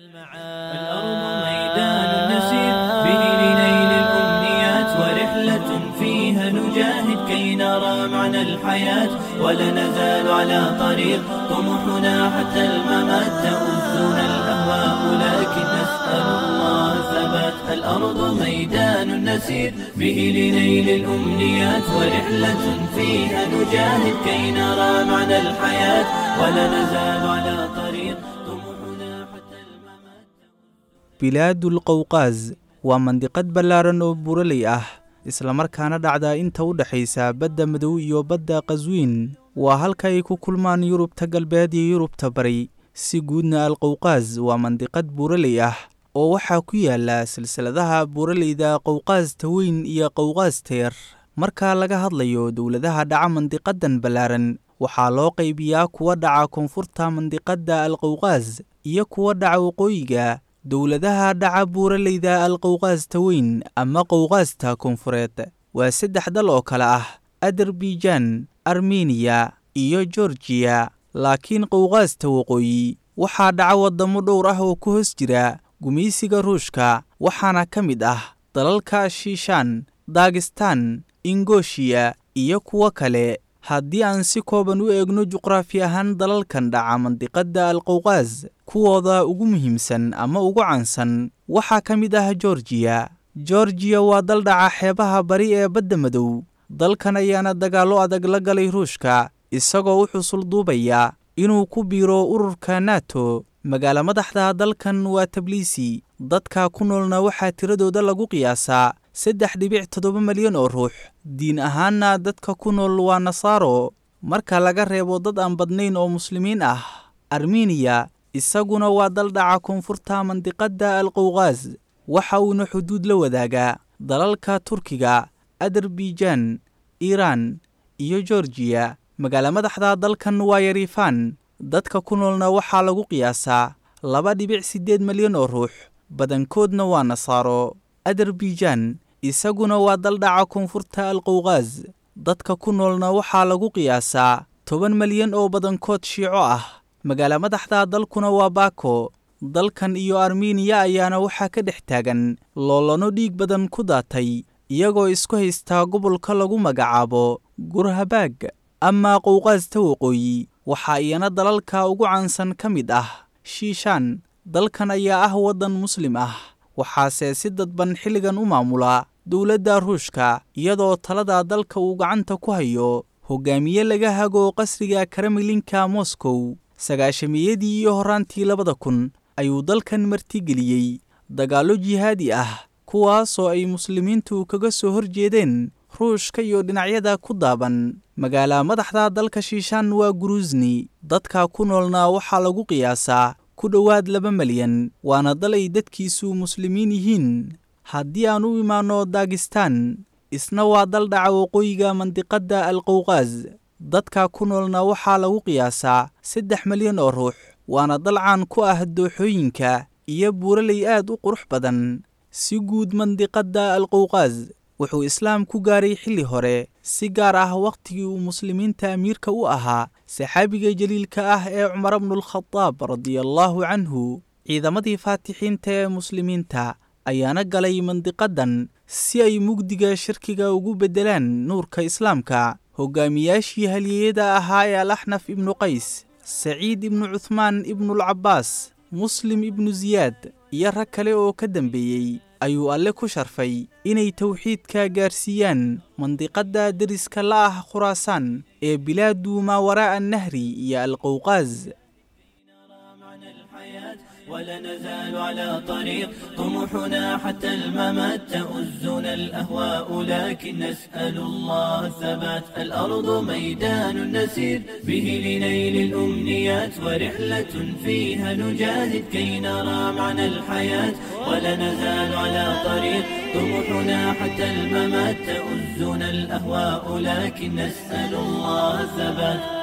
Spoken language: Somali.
الأرض ميدان نسير به لنيل الأمنيات، ورحلة فيها نجاهد كي نرى معنى الحياة، ولا نزال على طريق طموحنا حتى الممات. تؤذنا الأهواء لكن نسأل الله الثبات. الأرض ميدان نسير به لنيل الأمنيات، ورحلة فيها نجاهد كي نرى معنى الحياة، ولا نزال على طريق طموحنا حتى الممات. Bilaadul Qowqaas waa mandiqad ballaaran oo buuraley ah, islamarkaana dhacda inta u dhexaysa badda Madow iyo badda Qaswiin. Waa halka ay ku kulmaan Yurubta Galbeed iyo Yurubta Bari. Si guudna, Alqowqaas waa mandiqad buuraley ah oo waxaa ku yaala silsiladaha buuraleyda Qowqaasta Weyn iyo Qowqaasta Yar. Marka laga hadlayo dowladaha dhaca mandiqadan ballaaran, waxaa loo qaybiyaa kuwa dhaca koonfurta mandiqadda Alqowqaas iyo kuwa dhaca waqooyiga. Dowladaha dhaca buuraleyda Alqowqaasta Weyn ama Qowqaasta Koonfureed waa saddex dal oo kale ah Adarbijan, Armeniya iyo Georgiya. Laakiin Qowqaasta Waqooyi waxaa dhaca waddamo dhowr ah oo ku hoos jira gumaysiga Ruushka, waxaana ka mid ah dalalka Shiishaan, Dagistan, Ingoshiya iyo kuwo kale. Haddii aan si kooban u eegno juqraafi ahaan dalalkan dhaca mandiqadda Alqowqaas, kuwooda ugu muhiimsan ama ugu caansan waxaa ka mid ah Georgiya. Georgiya waa dal dhaca xeebaha bari ee badda Madow. Dalkan ayaana dagaallo adag la galay Ruushka, isagoo u xusul duubaya inuu ku biiro ururka NATO. Magaalo madaxda dalkan waa Tabliisi. Dadka ku noolna waxaa tiradooda lagu qiyaasaa 3.7 malyan oo ruux. Diin ahaanna dadka ku nool waa Nasaaro, marka laga reebo dad aan badnayn oo Muslimiin ah. Armeniya isaguna waa dal dhaca koonfurta mandiqadda Alqowqaas, waxa uuna xuduud la wadaagaa dalalka Turkiga, Adarbijan, Iiraan iyo Georgiya. Magaalo madaxda dalkan waa Yarifan. Dadka ku noolna waxaa lagu qiyaasaa 2.8 malyan oo ruux, badankoodna waa Nasaaro. Adarbijan isaguna waa dal dhaca koonfurta Alqowqaas. Dadka ku noolna waxaa lagu qiyaasaa 10 malyan oo badankood Shiico ah. Magaalo madaxda dalkuna waa Baako. Dalkan iyo Armeniya ayaana waxaa ka dhex taagan loolano dhiig badan ku daatay, iyagoo isku haystaa gobolka lagu magacaabo Gurhabaag. Amaa Qowqaasta Waqooyi, waxaa iyana dalalka ugu caansan ka mid ah Shiishaan. Dalkan ayaa ah waddan Muslim ah, waxaase si dadban xilligan u maamula dowladda Ruushka, iyadoo talada dalka uu gacanta ku hayo hogaamiye laga hago qasriga Kremlinka Moscow. Sagaashamiyadii iyo horaantii 2000 ayuu dalkan martigeliyey dagaallo jihaadi ah, kuwaasoo ay Muslimiintu kaga soo horjeedeen Ruushka iyo dhinacyada ku daaban. Magaala madaxda dalka Shiishaan waa Guruusni. Dadka ku noolna waxaa lagu qiyaasaa ku dhowaad 2 malyan, waana dal ay dadkiisu Muslimiin yihiin. Haddii aan u imaanno Dagistan, isna waa dal dhaca waqooyiga mandiqadda Alqowqaas. Dadka ku noolna waxaa lagu qiyaasaa 3 malyan oo ruux, waana dal caan ku ah dooxooyinka iyo buuraley aad u qurux badan. Si guud, mandiqadda Alqowqaas wuxuu Islaam ku gaaray xilli hore, si gaar ah wakhtigii uu Muslimiinta amiirka u ahaa saxaabiga jaliilka ah ee Cumar bnulkhadaab radiallaahu canhu. Ciidamadii faatixiinta ee Muslimiinta ayaana galay mandiqadan si ay mugdiga shirkiga ugu beddelaan nuurka Islaamka. Hogaamiyaashii halyeeyada ahaa ee Alaxnaf ibnu Qays, Saciid ibnu Cuthmaan ibnulcabbaas, Muslim ibnu Siyaad iyo rag kale oo ka dambeeyey ayuu Alle ku sharfay inay towxiidka gaarsiiyaan mandiqadda deriska la ah Khuraasaan ee bilaadu maa waraa'a Nahri iyo Alqowqaas. ولا نزال على طريق طموحنا حتى الممات. تؤزنا الأهواء لكن نسأل الله الثبات. الأرض ميدان نسير به لنيل الأمنيات، ورحلة فيها نجاهد كي نرى معنى الحياة، ولا نزال على طريق طموحنا حتى الممات. تؤزنا الأهواء لكن نسأل الله الثبات.